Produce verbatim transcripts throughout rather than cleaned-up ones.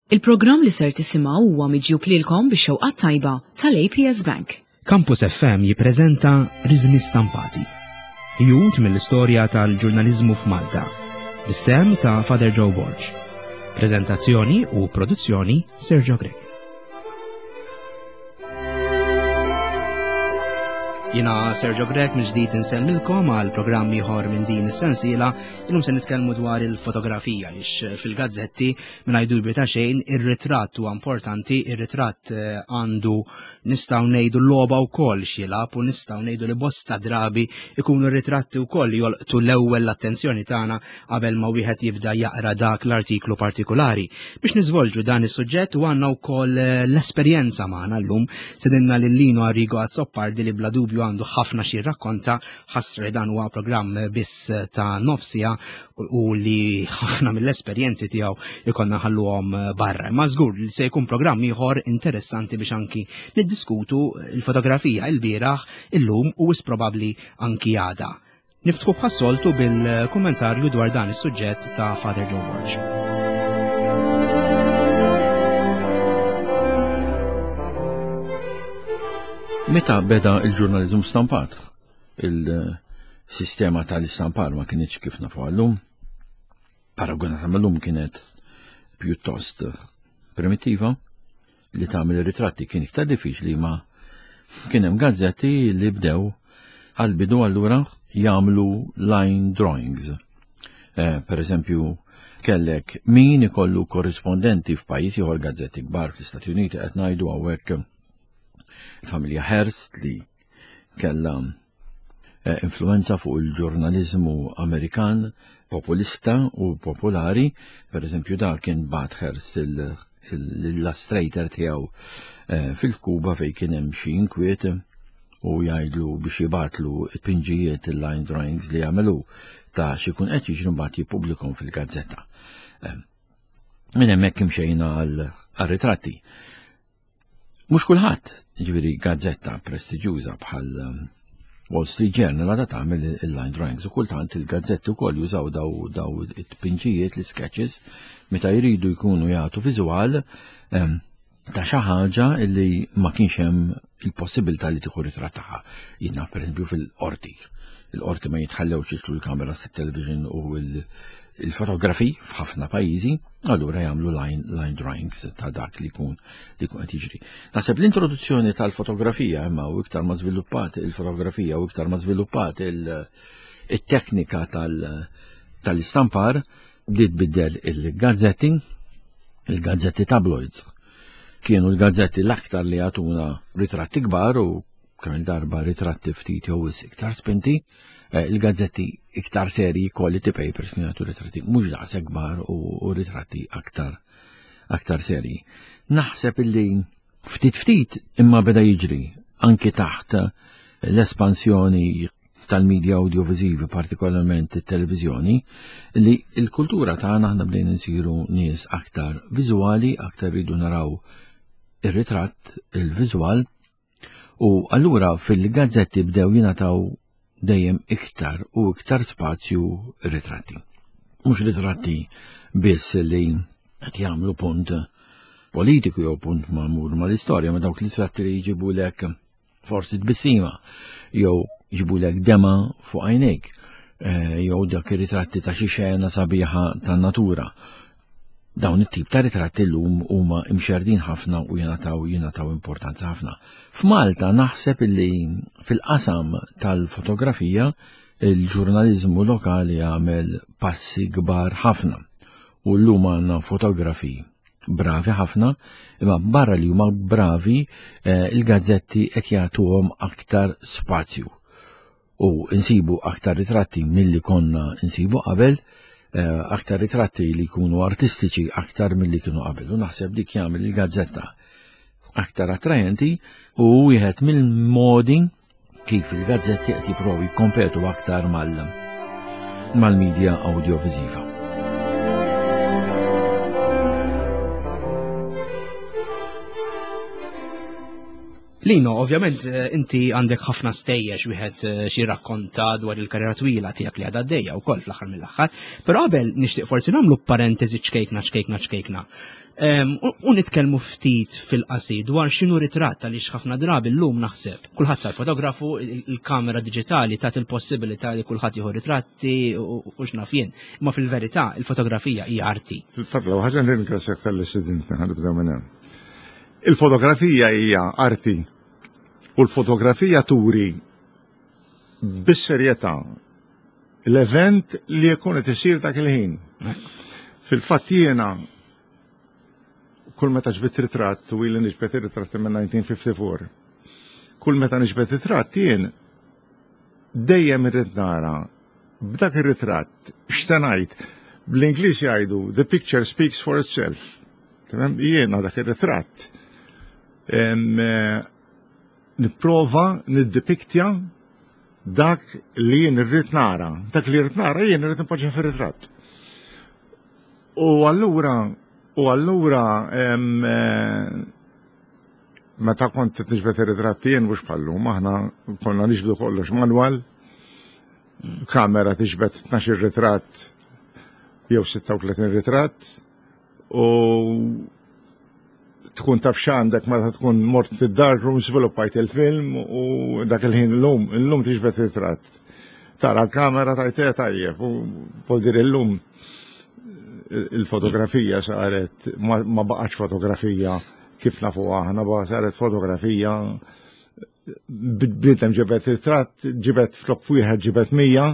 Il-programm li ser tisimgħu huwa miġjub lilkom bix-xewqat tajba tal-A P S Bank. Campus F M jippreżenta Riżmi Stampati. Ħjut mill-istorja tal-ġurnaliżmu f'Malta. Bis-sehem ta' Father Joe Borg. Prezentazzjoni u produzzjoni, Sergio Grech. Jiena Sergio Grech, mill-ġdid insellmilkom għal programm ieħor minn din is-sensiela. Illum se nitkellmu dwar il-fotografija, lix fil-gazzetti, mingħajr dubju ta' xejn, ir-ritratt huwa importanti, ir-ritratt eh, għandu, nistgħu ngħidu, logħba wkoll x'jilgħab u nistgħu ngħidu li bosta drabi ikunu r-ritratti wkoll li jolqtu l-ewwel l-attenzjoni tagħna qabel ma wieħed jibda jaqra dak l-artiklu partikolari. Biex niżvolġu dan is-suġġett u għandna wkoll eh, l-esperjenza magħna llum, stedinna lil Lino Arrigo Azzopardi, li bla dubju għandu ħafna xi rakkonta. Ħasra li dan huwa programm biss ta' nofs siegħa u li ħafna mill-esperjenzi tiegħu ikollna nħalluhom barra. Ma żgur li se jkun programm ieħor interessanti biex anki niddiskutu il-fotografija il-bieraħ, illum u wis probabbli anki għada. Niftħu bħas-soltu bil-kummentarju dwar dan is-suġġett ta' Father Joe Borg. Meta beda il-ġurnalizmu stampat, il-sistema tal-istampar ma kienx kif nafu għallum, paragonata mal-lum kienet pjuttost primitiva, li tagħmel ritratti kien iktar diffiċli, ma kien hemm gazzetti li bdew għal-bidu allura jagħmlu line drawings. Eh, per eżempju, kellek min ikollu korrispondenti f'pajjiż ieħor, gazzetti kbar fl-Istati Uniti qed ngħidu hawnhekk, il-familja Hearst li kella eh, influenza fuq il-ġurnalizmu Amerikan populista u popolari. Per eżempju, da kien bagħat Hearst l-illustrator tiegħu eh, fil-Kuba fejn kien hemm xi inkwiet u jgħidlu biex jibgħatlu t-pinġijiet, il-line drawings li jagħmlu ta' xi jkun qed jiġri, mbagħad jippubblikhom fil-gazzetta. Eh, minn hemmhekk imxejna għal ritratti. Mhux kulħadd, ġifieri gazzetta prestiġjuża bħal um, Wall Street Journal għadha tagħmel il-line drawings u kultant il-gazzetti wkoll jużaw daw daw it-tpinġijiet, l-sketches, meta jridu jkunu jagħtu viżwal um, ta' xi ħaġa li ma kienx hemm il-possibilità li tieħu ritratt tagħha. Jiena, pereżempju, fil-qorti. Il-qorti ma jitħallewx jidħlu l-kameras tat-television u il-fotografi f'ħafna pajjiżi, allura jagħmlu line, line drawings ta' dak li jkun li jkun qed jiġri. Naħseb l-introduzzjoni tal-fotografija, imma u iktar ma żviluppat il-fotografija u iktar ma żviluppat il-teknika tal-istampar, bdiet biddel il-gazzetti, il-gazzetti tabloids. Kienu l-gazzetti l-aktar li jagħtuna ritratti kbar u kemm il-darba ritratti ftit jew iktar spinti, eh, il-gazzetti iktar serji, quality papers, kienu jagħtu ritratti mhux daqshekk kbar u ritratti aktar aktar serji. Naħseb illi ftit ftit imma beda jiġri anki taħt l-espansjoni tal-medja audiovisivi, partikolarment it-televizjoni, li l-kultura tagħna aħna bdejna nsiru nies aktar viżwali, aktar rridu naraw ir-ritratt, il-viżwal, u allura fil-gazzetti bdew jingħataw dejjem iktar u iktar spazju ritratti. Mhux ritratti biss li qed jagħmlu punt politiku jew punt magħmul mal-istorja, ma dawk ritratti li jġibulek forsi tbissima jew jġibulek dema fuq għajnejk, eh, jew dak ir-ritratti ta' xi xena sabiħa tan-natura. Dawn it-tip ta' ritratti llum huma imxerdin ħafna u jingħataw jingħataw importanza ħafna. F'Malta naħseb illi fil-qasam tal-fotografija il-ġurnaliżmu lokali għamel passi kbar ħafna u llum għandna fotografi bravi ħafna, imma barra li huma bravi, eh, il-gazzetti qed jagħtuhom aktar spazju u insibu aktar ritratti milli konna insibu qabel, eh, aktar ritratti li jkunu artistiċi aktar milli kienu qabel. U naħseb dik jagħmel il-gazzetta aktar attrajenti u wieħed mill-modi kif il-gazzetti qed jipprovaw jikkompetu aktar mal mal-medja audiovisiva. Lino, ovvjament eh, inti għandek ħafna stejjer wieħed eh, xi rakkonta dwar il-karriera twila tiegħek li għadha għaddejja wkoll fl-aħħar mill-aħħar, però qabel nixtieq forsi nagħmlu parentesi ċkejkna ċkejkna ċkejkna. Em, U u nitkellmu ftit fil-qasir dwar x'inhu ritratt, għaliex ħafna drabi llum naħseb kulħadd sar fotografu, il- il-kamera diġitali tat il-possibilità li kulħadd jieħu ritratti u u x'naf jien. Imma fil-verità il-fotografija hija arti. Fil-fatt, l ħaġa nirringrazzjak talli stedintni, ħa nibdew minn hemm. Il-fotografija hija arti u l-fotografija turi bis-serjetà l-event li jkun qed isir dak il-ħin. Fil-fatt jiena kull meta ġbidt ritratt, u ili niġbed ir-ritratti minn elf disa' mija u ħamsa u ħamsin. Kull meta niġbed ritratt jien dejjem irrid nara b'dak ir-ritratt x'se ngħid. Bl-Ingliż jgħidu "the picture speaks for itself". Tamam, jiena dak ir-ritratt em, eh, nipprova niddepiktja dak li jien irrid nara. Dak li irrid nara jien irrid nipoġġa fir-ritratt. U allura u allura em, eh, meta kont niġbed ir-ritratti jien, mhux bħallum, aħna konna niġbdu kollox manwal, kamera tiġbed tnax ritratt jew sitta u tletin ritratt u tkun taf x'għandek meta tkun mort fid-dark room, sviluppajt il-film u dak il-ħin. Illum, illum tiġbed ritratt. Tara l-kamera tajte tajjeb u vuol dire illum il-fotografija saret ma, ma baqax fotografija kif nafu aħna, ba saret fotografija bniedem ġibed ritratt, ġibed flok wieħed ġibed mija,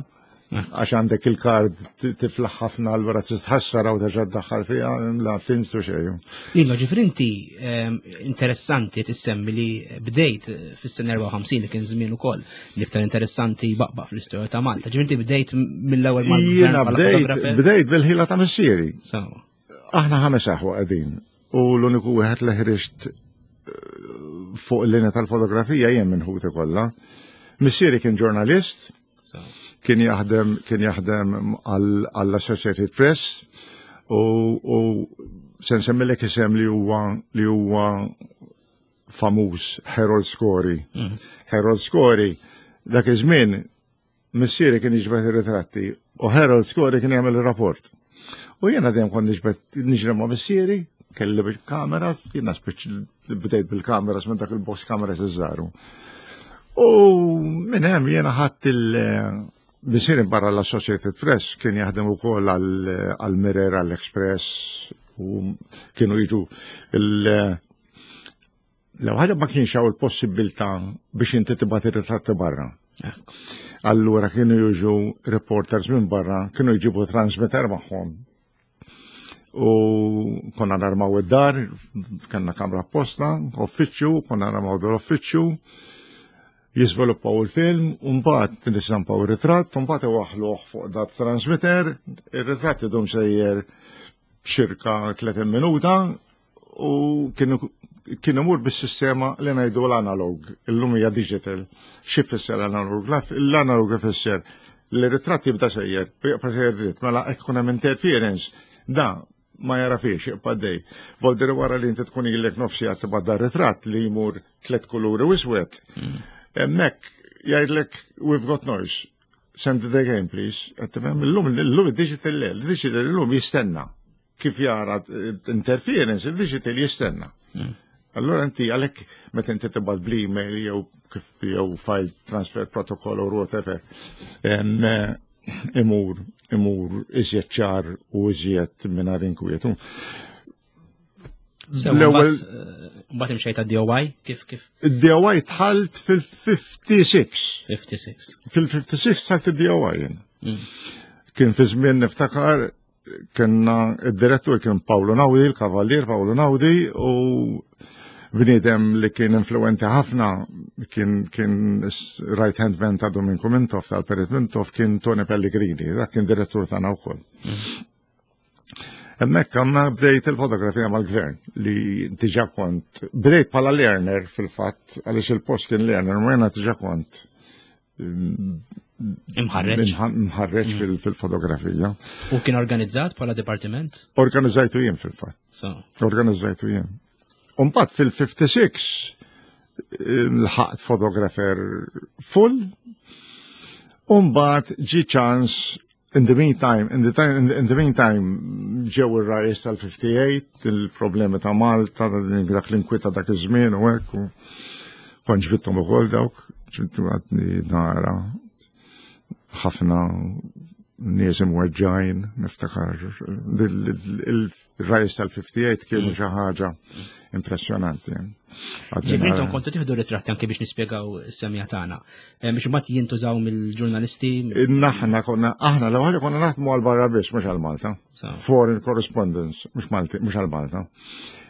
għax għandek il-kard tiflaħ ħafna, allura tistħassara u terġa' ddaħħal fiha la films u xejn. Lino, ġifieri inti ehm, interessanti tissemmi li bdejt fis-sena erbgħa u ħamsin, li kien żmien ukoll l-iktar interessanti baqbaq fl-istorja ta' Malta. Ġifieri inti bdejt mill-ewwel mal-gvern Jiena bħala bdejt photographer? Bdejt bil-ħila ta' missieri. Sawa. Aħna ħames aħwa qegħdin u l-uniku wieħed li ħriġt eh, fuq il-linja tal-fotografija jien minn ħuti kollha. Missieri kien ġurnalist, Sawa. kien jaħdem kien jaħdem għall-Associated Press u, u se nsemmilek isem li huwa li huwa famuż, Harold Scory. Mhm. Harold Scory, dak iż-żmien missieri kien jiġbed ir-ritratti u Harold Scory kien jagħmel ir-rapport. U jiena dejjem kont niġbed, niġri ma' missieri, kelli bil-kamera, jiena spiċ bdejt bil-kamera minn dak il-box cameras iż-żgħar. U minn hemm jiena ħadd il- missieri barra l-Associated Press kien jaħdem ukoll għal-Mirror, għall-Express u kienu jiġu il- L ħaġa ma kienx hawn il-possibilità biex inti tibgħat ir-ritratti barra. Ekku. Allura kienu jiġu reporters minn barra, kienu jġibu transmitter magħhom. U konna narmaw id-dar, kellna kamra apposta, uffiċċju, konna narmaw dal-uffiċċju, jiżviluppaw il-film, u mbagħad nistampaw ir-ritratt, u mbagħad iwaħħluh fuq dat transmitter, ir-ritratt idum sejjer xirka tletin minuta u kienu kien imur bis-sistema li ngħidu l-analog, illum hija digital. Xi fisser l-analog? L-analog ifisser li r-ritratt jibda sejjer, u jibqa' sejjer dritt, mela hekk ikun hemm interference, da ma jara fiex jibqa' dej. Voldir wara li inti tkun ilek nofsi għad tibgħat ritratt li jmur tliet kuluri u iswed. Hemmhekk jgħidlek, "We've got noise. Send it again, please." Qed tifhem? Illum illum id-digital le, il-digital illum jistenna. Kif jara interference, il-digital jistenna. Allora inti għalhekk meta inti tibgħat bl-email jew kif jew file transfer protocol or whatever, em, eh, imur imur iżjed ċar u iżjed mingħajr inkwiet. Sewa, L-ewwel mbagħad, eh, mbagħad imxejt għad-D O I, kif kif Id-D O I dħalt fil-ħamsa u ħamsin. ħamsa u ħamsin. Fil-ħamsa u ħamsin dħalt id-D O I jien. Mm. Kien fi żmien, niftakar, kienna id-direttur kien Paolo Naudi, il-kavallier Paolo Naudi, u bniedem li kien influenti ħafna, kien kien right hand man ta' Dominku Mintoff, tal-Perit Mintoff, kien Tony Pellegrini, dak kien direttur tagħna wkoll. Hemmhekk għamna bdejt il-fotografija mal-gvern li diġà kont, bdejt bħala learner fil-fatt, għaliex il-post kien learner, ma jena diġà kont Imħarreġ. Mħarreġ fil- fil-fotografija. U kien organizzat bħala dipartiment? Organizzajtu jien fil-fatt. So. Organizzajtu jien. Umbagħad fil-ħamsa u ħamsin Lħaqt photographer full. U mbagħad ġi ċans in the meantime, in the time, in the, in the meantime ġew ir-riots tal-fifty-eight, il-problemi ta' Malta, dak l-inkwita dak iż-żmien u hekk, u kont ġbidthom ukoll dawk, ġbidtu għadni nara ħafna nies imweġġajn, niftakar il-riots tal-fifty-eight kienu xi ħaġa impressjonanti. Ġifieri intom kontu tieħdu ritratti anke biex nispjegaw is-semja tagħna. Eh, biex imbagħad jintużaw mill-ġurnalisti. Naħna konna, aħna l-ewwel konna naħdmu għal barra biss, mhux għal Malta. Foreign correspondence, mhux Malti, mhux għal Malta.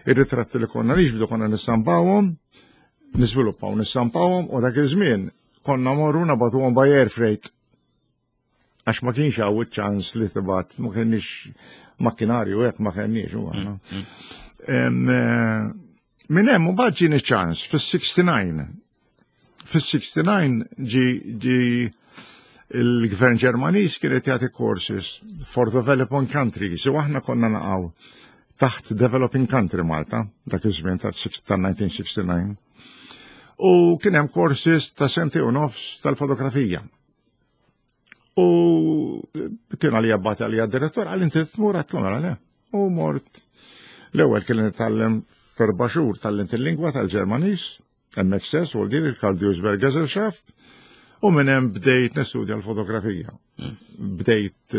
Ir-ritratti li konna niġbdu konna nistampawhom, niżviluppaw nistampawhom u dak iż-żmien konna morru nabagħtuhom by air freight. Għax ma kienx hawn iċ-ċans li tibgħat, ma kienx makkinarju hekk ma kenniex u għandna. Mm, mm. Minn hemm mbagħad ġieni ċans fis-sixty-nine. Fis-sixty-nine ġi ġi il-gvern Ġermaniż kien qed jagħti courses for developing countries u aħna konna naqgħu taħt developing country Malta dak iż-żmien ta' nineteen sixty-nine. U kien hemm courses ta' sentejn u nofs tal-fotografija. U kien għalija bagħat għalija direttur, għal inti tmur għedtlu għalija. U mort l-ewwel kien nitgħallem f'erba' xhur tgħallimt il-lingwa tal-Ġermaniż, M X S u din il-Carl Duisberg Gesellschaft, u minn hemm bdejt nistudja l-fotografija. Hmm. Bdejt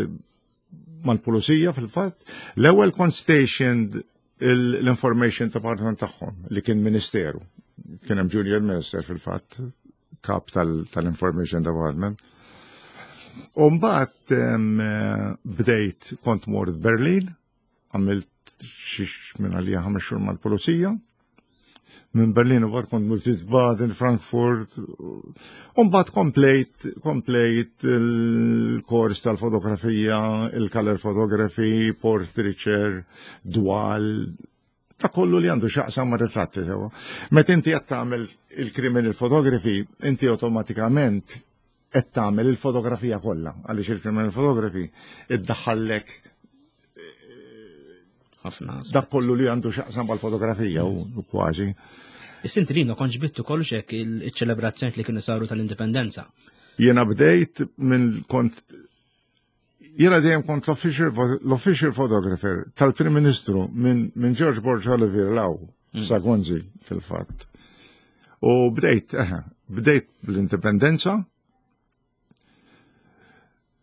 mal-pulizija fil-fatt. L-ewwel kont stationed l-Information Department tagħhom li kien ministeru. Kien hemm junior minister fil-fatt, kap tal-Information Department. U mbagħad bdejt kont mort Berlin, għamilt xi minn għalija ħames xhur mal-pulizija. Minn Berlin u kont mort Wiesbaden, Frankfurt, u mbagħad komplejt komplejt il-kors tal-fotografija, il-color photography, portraiture, dwal, ta' kollu li għandu x'jaqsam ma' ritratti sewa. Meta inti qed tagħmel il-criminal photography, inti awtomatikament qed tagħmel il-fotografija kollha, għaliex il-criminal photography iddaħħallek ħafna. Dak kollu li għandu x'jaqsam mal-fotografija u kważi. Is-sinti li kont ġbittu kollox hekk il-ċelebrazzjoni li kienu saru tal-indipendenza. Jiena bdejt minn kont jiena dejjem kont l-official photographer tal-Prim Ministru minn min George Borg Olivier 'l hawn mm. sa Gonzi fil-fatt. U bdejt, eh, bdejt bl-indipendenza,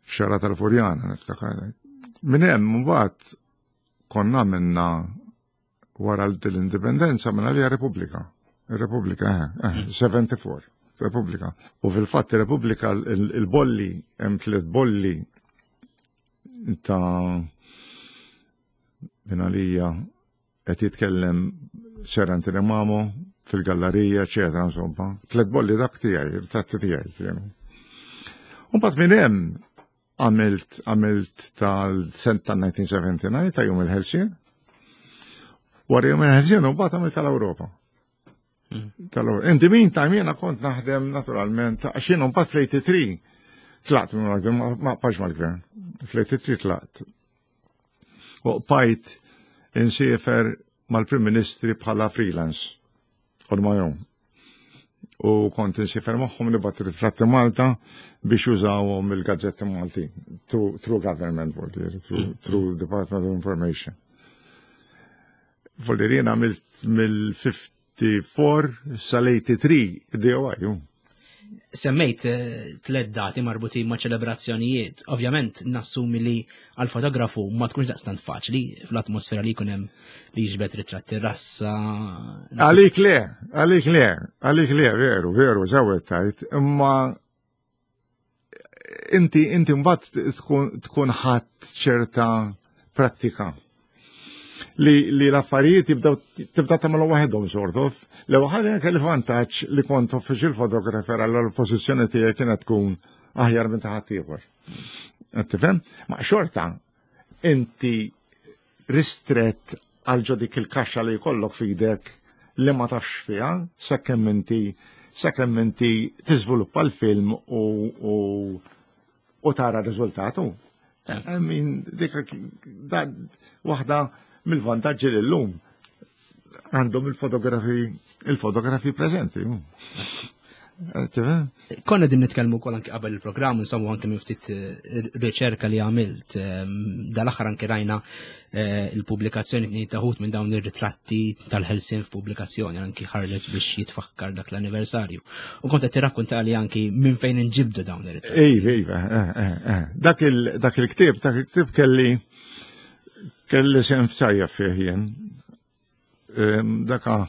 xara tal-Furjana, niftakar. Minn hemm mbagħad konna minna wara l-indipendenza minn għalija Repubblika. Repubblika, eh, eh, sebgħa u sebgħin, Repubblika. U fil-fatt Repubblika il-bolli, hemm tliet bolli ta' minn għalija qed jitkellem Sir Anthony Mamo fil-gallerija, eċetera, insomma. Tliet bolli dak tiegħi, ritratti tiegħi kienu. U mbagħad minn hemm għamilt għamilt tal-sent tal-elf disa' mija u sebgħa u sebgħin ta' Jum il-Ħelsien. Wara Jum il-Ħelsien u mbagħad għamilt tal-Ewropa. Hmm. Tal-Ewropa. In the meantime jiena kont naħdem naturalment għax jiena mbagħad fl-tmienja u tmenin tlaqt minn mal-gvern, ma bqajtx mal-gvern. Fl-tmienja u tmenin tlaqt. U bqajt insiefer mal-Prim Ministri bħala freelance. On my own. U kont insiefer magħhom nibgħat ritratti Malta biex jużawhom il-gazzetti Malti. Through, through government, through, mm. through Department of Information. Voldir jien għamilt mill-ħamsa u ħamsin sal-tmienja u tmenin D O I. Semmejt eh, tliet dati marbutin ma' ċelebrazzjonijiet. Ovvjament nassumi li għal fotografu ma tkunx daqstant faċli fl-atmosfera li jkun hemm li jiġbed ritratti rassa. Għalik le, għalik le, għalik le, veru, veru, żewed tajt, imma inti inti mbagħad tkun tkun ħadd ċerta prattika li, li l-affarijiet jibdaw tibda tagħmlu waħedhom sort of. L-ewwel ħaġa kelli vantaġġ li kont official photographer għal l-pożizzjoni tiegħi kienet tkun aħjar minn ta' ħadd ieħor. Qed tifhem? Ma xorta inti ristret għal ġo dik il-kaxxa li jkollok fidek li ma tafx fiha sakemm inti sakemm inti tiżviluppa l-film u, u, u tara r-riżultatu. I mean, dik da waħda mill-vantaġġi li l-lum. Għandhom il-fotografi il-fotografi preżenti. Konna din nitkellmu wkoll anke qabel il-programm, insomma anke minn ftit eh, riċerka li għamilt, ehm, dal-aħħar anke rajna eh, il-pubblikazzjoni tnejn taħut minn dawn ir-ritratti tal-Ħelsien f'pubblikazzjoni anki ħarġet biex jitfakkar dak l-anniversarju. U kont qed tirrakkuntali anki minn fejn inġibdu dawn ir-ritratti. Iva, iva, eh, eh, dak il-ktieb, dak il-ktieb kelli kelli sem fsajja fih jien. Ehm, daka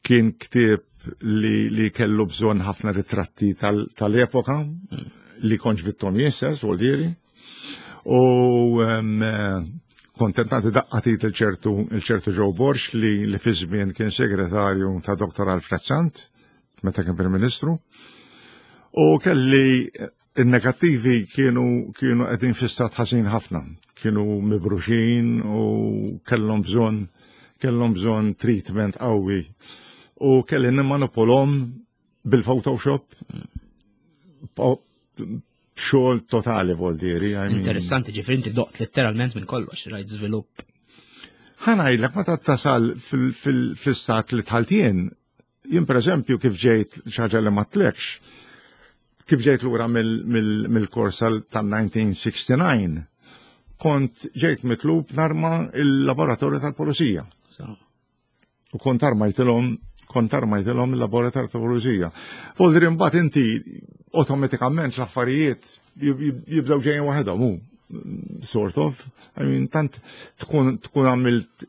kien ktieb li, li kellu bżonn ħafna ritratti tal-epoka tal li konġ bittom jistess, u diri. U um, kontentati daqqatit il-ċertu il-ċertu Joe Borx li, li fi żmien kien segretarju ta' Dottor Alfred Sant, meta kien Prim Ministru. U kelli il-negattivi kienu kienu qegħdin fi stat ħażin ħafna, kienu mibruxin u kellhom bżonn kellhom bżonn treatment qawwi. U kelli nimmanipolhom bil-Photoshop xogħol totali vol diri. Interessanti, ġifieri inti doqt letteralment minn kollox, rajt żvilupp. Ħa ngħidlek meta tasal fil-stat li dħalt jien, jien pereżempju kif ġejt xi ħaġa li ma tlekx, kif ġejt lura mill-kors tal-nineteen sixty-nine, kont ġejt mitlub narma il-laboratorju tal-pulizija. U kont armajtilhom, kont armajtilhom il-laboratorju tal-pulizija. Voldri mbagħad inti automatikament l-affarijiet jibdew ġejjin waħedhom, hu sort of. I mean, tant tkun tkun għamilt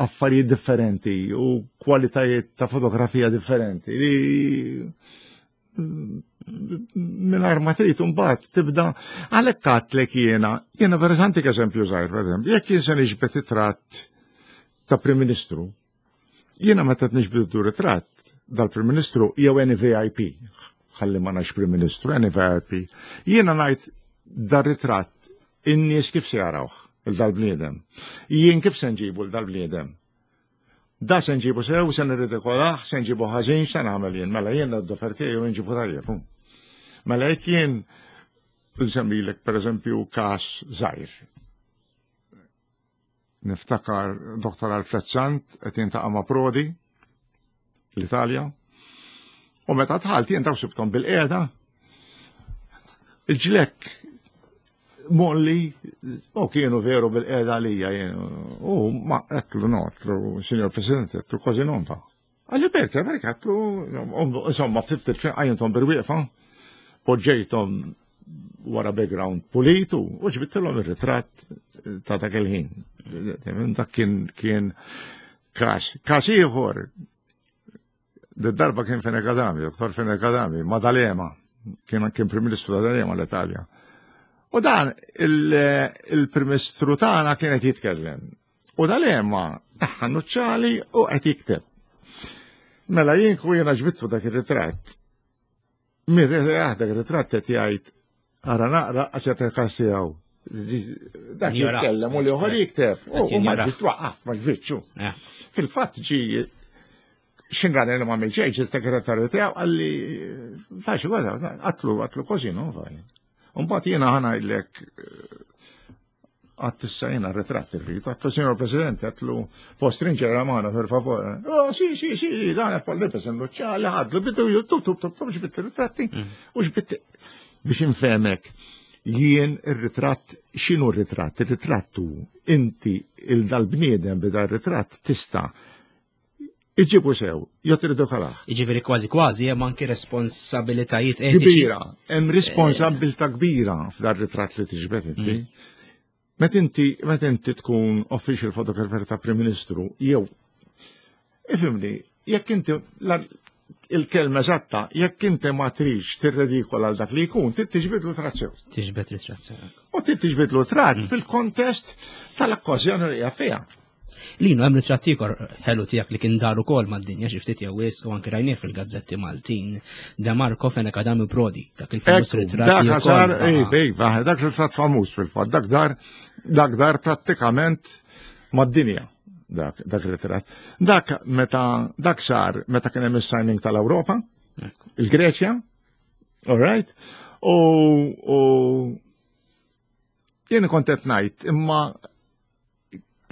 affarijiet differenti u kwalitajiet ta' fotografija differenti li mingħajr ma trid imbagħad tibda għalhekk għadtlek jiena, jiena per eżempju żgħir, per eżempju, jekk jien se niġbed ritratt ta' Prim Ministru, jiena meta niġbed ritratt dal-Prim Ministru jew any V I P, ħalli ma ngħidx Prim Ministru, any V I P, jiena ngħid dar-ritratt in-nies kif se jarawh il dal-bniedem. Jien kif se nġibu l dal-bniedem? Da se nġibu sew, se nirridikolah, se nġibu ħażin, se nagħmel jien. Mela jien d-dofer tiegħi u nġibu tajjeb. Mela jekk jien nsemmilek pereżempju każ żgħir. Niftakar Dottor Alfred Sant qed jintaqa' ma' Prodi l-Italja. U meta dħalt jien daw sibthom bil-qiegħda. Il-ġlekk molli, u kienu veru bil-qiegħda għalija jien. U ma għedtlu no, għedtlu, Signor President, għedtlu kważi non fa. Għalli perché, perché għedtlu, insomma, ftit ftit għajntom bil-wieqfa, poġġejthom wara background pulitu u ġbidtilhom ir-ritratt ta' dak il-ħin. Dak kien kien każ. Każ ieħor, darba kien Fenech Adami, Dottor Fenech Adami, ma' D'Alema, kien kien Prim Ministru ta' D'Alema l-Italja. U dan il-Prim Ministru tagħna kien qed jitkellem. U D'Alema taħħa nuċċali u qed jikteb. Mela jien ku jiena ġbidtu dak ir-ritratt. Min dak ir-ritratt qed jgħid ara naqra għax qed ikkassijaw. Dak jitkellem u l-ieħor jikteb. U ma ġbidtu waqqaf, ma ġbidtxu. Fil-fatt ġi xinran li ma mill-ġejġ, il-segretarju tiegħu qalli faċi għadha, għatlu għatlu kważi non faj. Mbagħad jiena ħa ngħidlek għat issa jiena ritratt irrid, għatlu Signor President, għatlu può stringere la mano per favore. Oh, sì, sì, sì, dan qed polli nuċċali ħadlu bidu tub tub tub tub ġbitt ritratti u ġbitt biex infehmek jien ir-ritratt x'inhu r-ritratt? Ir-ritratt hu inti il dal-bniedem bida r-ritratt tista' iġibu sew, jew tridu kalaħ. Jiġifieri kważi kważi hemm anki responsabilitajiet etiċi. Kbira, hemm responsabilità kbira f'dar ritratt li tiġbed inti. Meta inti meta inti tkun official photographer ta' Prim Ministru, jew ifhimni, jekk inti il-kelma eżatta, jekk inti ma tridx tirredikola għal dak li jkun, trid tiġbidlu tratt sew. Tiġbed ritratt sew. U trid tiġbidlu tratt fil-kontest tal-okkażjoni li hija fiha. Lino, hemm ritratt ieħor ħelu tiegħek li kien dar ukoll mad-dinja xi ftit jew wisq u anke rajnieh fil-gazzetti Maltin. De Marco Fenech Adami Prodi, dak il-famuż ritratt. Dak sar, iva, dak ritratt famuż fil-fatt, dak dar dak dar prattikament mad-dinja dak dak ritratt. Dak meta dak sar meta kien hemm is-signing tal-Ewropa, il-Greċja, all right? U u jien kont qed ngħid imma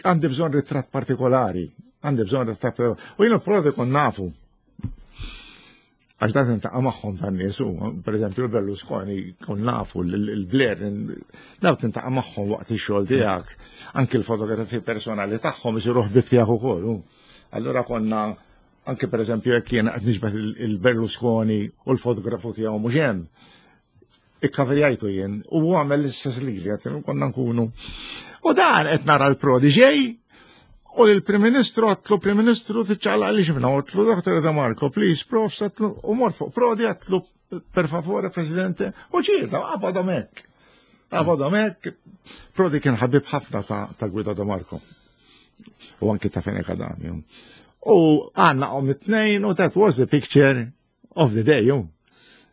Għandi bżonn ritratt partikolari, għandi bżonn ritratt partikolari. U jiena Prodi kon nafu. Għax dan niltaqa' magħhom tan-nies, per eżempju l-Berlusconi kon nafu, il-Blair, daw tintaqa' magħhom waqt ix-xogħol tiegħek, anki l-fotografi personali tagħhom isiru ħbib tiegħek ukoll. Allura konna anke per eżempju jekk jiena qed niġbed il-Berlusconi u l-fotografu tiegħu mhux hemm. Ikkaverjajtu jien u għamel l-istess lili, konna nkunu. U dan qed nara l-Prodi ġej u l-Prim Ministru għedtlu Prim Ministru tiċċaqlaq li xibna għedtlu Dottor De Marco, please, prof, għedtlu, u mort fuq Prodi għedtlu per favore, Presidente, u ġirda, għabadhom hekk. Għabadhom hekk. Prodi kien ħabib ħafna ta' Guido De Marco. U anki ta' Fenech Adami. U għanna għom it-tnejn u that was the picture of the day.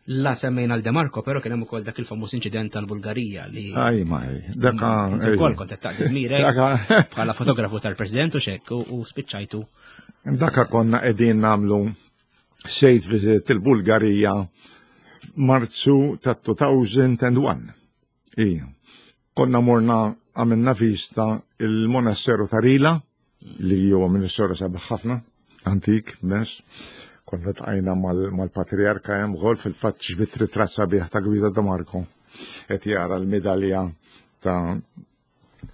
La semmejna l-De Marco, pero kien hemm ukoll dak il-famuż inċident tal-Bulgarija li. Aj, maj, daka. Inti wkoll kont qed taqdi dmirek bħala fotografu tal-President u xek u spiċċajtu. Daka konna qegħdin nagħmlu state visit il-Bulgarija Marzu ta' elfejn u wieħed. Ija. Konna morna għamilna vista il-monasteru ta' Rila, li huwa monasteru sabiħ ħafna, antik, mess. Konna ltqajna mal-patriarka hemm għol fil-fatt ġbidt ritratt sabiħ ta' Guido De Marco. Qed jara l-medalja ta'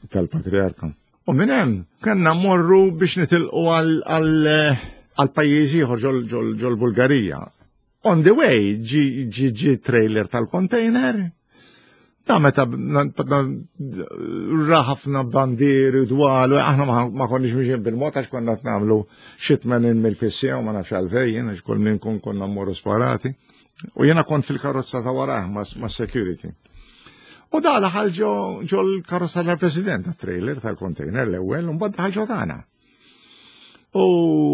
tal-patriarka. U minn hemm kellna morru biex nitilqu għal pajjiż ieħor ġol Bulgarija. On the way ġi ġi trailer tal-container. Da meta ra ħafna bandieri dwal, aħna ma konniex miexjin bil-mod għax konna nagħmlu xi tmenin mil fis-siegħa u ma nafx għalfejn, għax kull min kun konna mmorru sparati. U jiena kont fil-karozza ta' warah ma' security. U da daħal ġo l-karozza tal-president, trailer tal-container l-ewwel, u mbagħad daħal ġo tagħna. U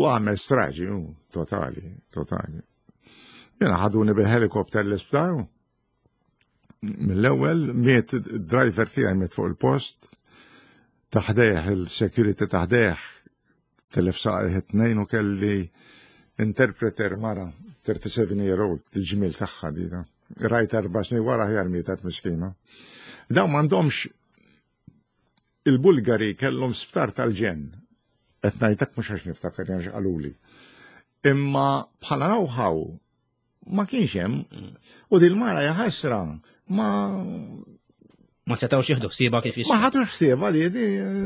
għamel straġi, totali, totali. Jiena ħaduni bil-helikopter l-isptar. Mill-ewwel miet driver tiegħi, miet fuq il-post, taħdejh il-security taħdejh telef saqajh it-tnejn u kelli interpreter mara thirty-seven year old, il-ġmil tagħha dina. Rajt erba' snin wara ħjar mietet miskina. Dawn m'għandhomx, il-Bulgari kellhom sptar tal-ġenn. Qed ngħidlek mhux għax niftakar għax qaluli. Imma bħala know-how ma kienx hemm u dil-mara jaħasra ma Ma setgħux jieħdu ħsiebha kif Ma ħadu ħsiebha li di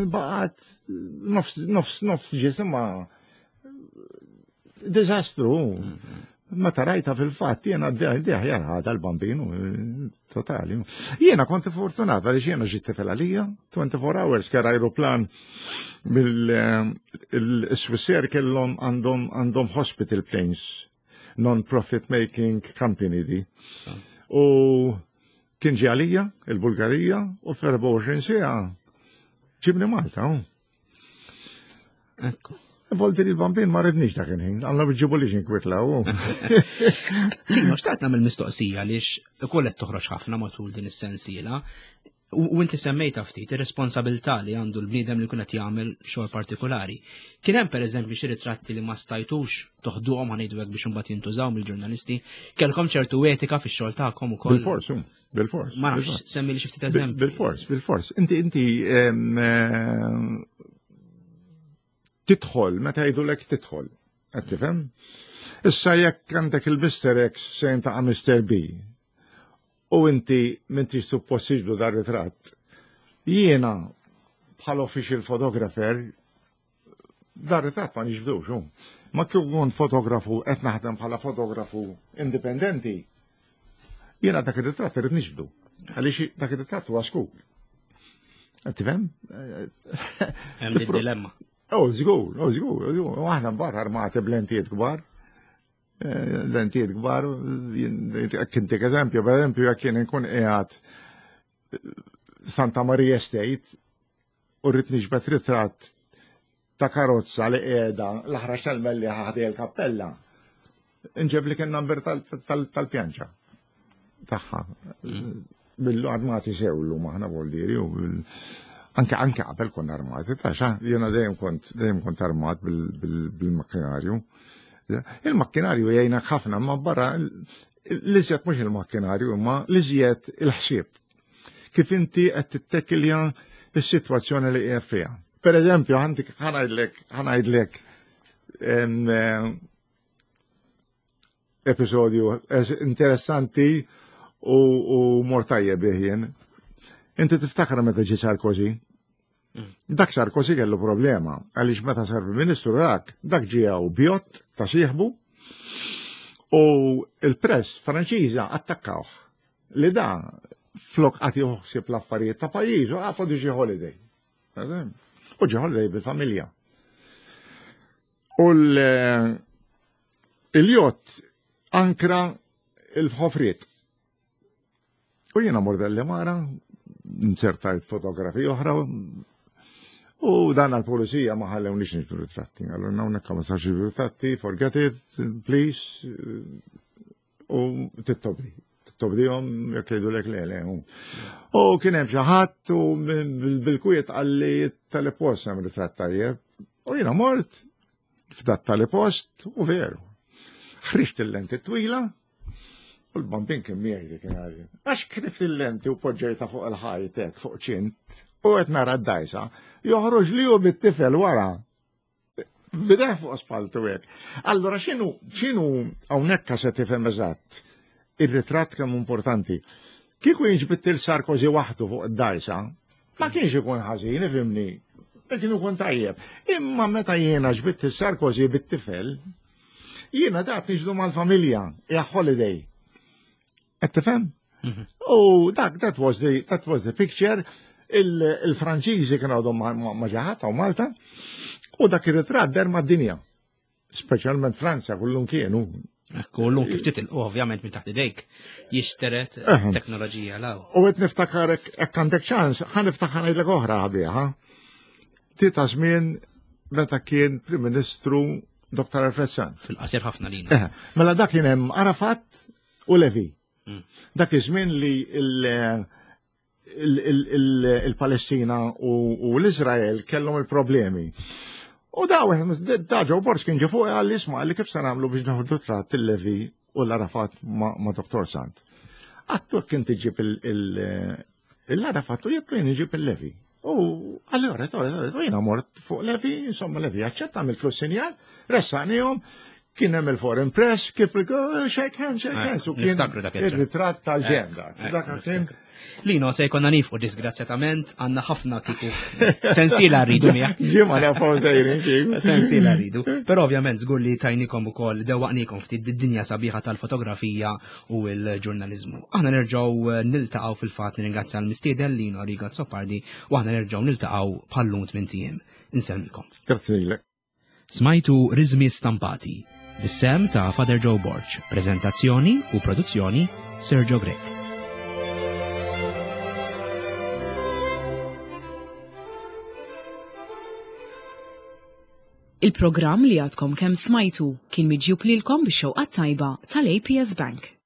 baqgħet nofs nofs nofs ġisimha, diżastru. Meta rajta fil-fatt jiena diħjar ħada l-bambinu totali. Jiena kont fortunata li jiena ġiet tifel għalija twenty-four hours kera aeroplan bil-Swissair kellhom għandhom għandhom hospital planes, non-profit making company di. U kien ġi għalija, il-Bulgarija, u f'erbgħa u għoxrin siegħa ġibni Malta. Ekku. Volti li l-bambin ma ridnix dak il-ħin, għalla bġibu li xinkwietlaw. Lino, xtaqt nagħmel mistoqsija għaliex ukoll qed toħroġ ħafna matul din is-sensiela. U inti semmejta ftit ir-responsabilità li għandu l-bniedem li jkun qed jagħmel xogħol partikolari. Kien hemm pereżempju xi ritratti li ma stajtux toħduhom, ħa ngħidu hekk, biex imbagħad jintużaw mill-ġurnalisti. Kellkom ċertu etika fix-xogħol tagħkom ukoll. Bil-fors, bil-fors. Ma nafx, semmi li xi ftit eżempju. Bil-fors, bil-fors. Inti inti tidħol meta jgħidulek tidħol. Qed tifhem? Issa jekk għandek il-Mister X sejn ta' Mister B u inti m'intix suppost tiġbdu dar ritratt. Jiena bħal official photographer dar ritratt ma niġbdux. Ma kif kont fotografu qed naħdem bħala fotografu indipendenti, jiena dak ir-ritratt irid niġbdu. Għaliex dak ir-ritratt huwa scoop. Qed tifhem? Hemm dilemma. Oh, żgur, oh, żgur, żgur. U aħna mbagħad armati b'lentijiet kbar. Lentijiet kbar, kintik eżempju, per eżempju, jekk kien inkun qiegħed Santa Maria Estate u rrid niġbed ritratt ta' karozza li qiegħda l-aħrax tal-Mellieħa ħdej il-kappella. Inġeb li kien number tal-pjanċa tagħha. Billu armati sewlu maħna voldiri u anke anke qabel konna armati, ta' xa, jiena dejjem kont dejjem kont armat bil-makkinarju. Il-makkinarju jgħinak ħafna, ma barra l-iżjed mhux il-makkinarju, imma l-iżjed il-ħsieb. Kif inti qed tittekilja is-sitwazzjoni li qiegħed fiha. Per eżempju, għandik ħa ngħidlek, ħa ngħidlek eh, episodju interessanti u, u mortajje bih. Inti tiftakar meta ġie Sarkozy? Mm. Dak Sarkozy kellu problema, għaliex meta sar Ministru dak, dak ġie b'yacht ta' sieħbu u il-press Franċiża attakkawh li da flok qed joħsib l-affarijiet ta' pajjiżu għapod ġie holiday. U ġie holiday bil-familja. U l-yacht ankra il-ħofriet. U jiena mort Delimara, inzertajt fotografi oħra, u dan għal-pulizija ma ħallewniex niġbdu ritratti. Allura hawnhekk ma sarx ritratti, forget it, please, u tittobdi. Tittobdihom jekk jgħidulek le le. U kien hemm xi ħadd u bil-kwiet qalli tal-post hemm ritratt tajjeb. U jiena mort f'dat tal-post u veru. Ħriġt il-lenti twila, u l-bambin kien miegħi dik nhar. Għax knift il-lenti u poġġejta fuq il-ħajtek, fuq ċint, u qed nara d-dajsa, joħroġ li hu bit-tifel wara. Bideh fuq spaltu hekk. Allora x'inhu x'inhu hawnhekk se tifhem eżatt ir-ritratt kemm importanti. Kieku jinġbit il Sarkozy waħdu fuq id-dajsa, ma kienx ikun ħażin, ifhimni, kien ikun tajjeb. Imma meta jiena ġbitt il-Sarkozy bit-tifel, jiena dat niġdu mal-familja, hija holiday. Qed tifhem? Mhm. U dak, that was the, that was the picture. Il-Franċiżi kienu għadhom ma ġaħat u Malta, u dak ir-ritratt der mad-dinja. Speċjalment Franza, kullum kienu. Ekku, l-lum kif titilqu ovvjament minn taħt idejk jixteret teknoloġija law. U qed niftakar hekk għandek ċans, ħa niftakar ngħidlek oħra ħabiħa. Tita żmien meta kien Prim Ministru Dottor Alfred Sant. Fil-qasir ħafna lina. Mela dak kien hemm Arafat u Levi. Mm. Dak iż-żmien li il-Palestina u l-Izrael kellhom il-problemi. U da, da Joe Borg kien ġie fuq għalli isma' li kif se nagħmlu biex naħdu tratt il-Levi u l-Arafat ma' Dottor Sant. Għattu kien tiġib il-Arafat u jekk kien iġib il-Levi. U allora, u jiena mort fuq Levi, insomma Levi aċċetta għamiltlu sinjal, ressaqnihom, kien hemm il-foreign press kif shake hands, shake hands, u kien ir-ritratt tal-ġenda. Dak kien Lino, se jkollna nifqu disgrazzjatament, għandna ħafna kiku sensiela rridu miegħek. Ġimgħa nafaw sejrin. Sensiela rridu. Però ovvjament żgur li tajnikom ukoll dewwaqnikom ftit id-dinja sabiħa tal-fotografija u l-ġurnaliżmu. Aħna nerġgħu niltaqgħu fil-fatt nirringrazzja l-mistieden Lino Arrigo Azzopardi u aħna nerġgħu niltaqgħu bħallum tmien ijiem. Insellmilkom. Grazzi lilek. Smajtu Rizmi Stampati, bis-sehem ta' Father Joe Borg, prezentazzjoni u produzzjoni Sergio Grech. Il-programm li għadkom kemm smajtu kien miġjub lilkom bix-xewqa tajba tal-A P S Bank.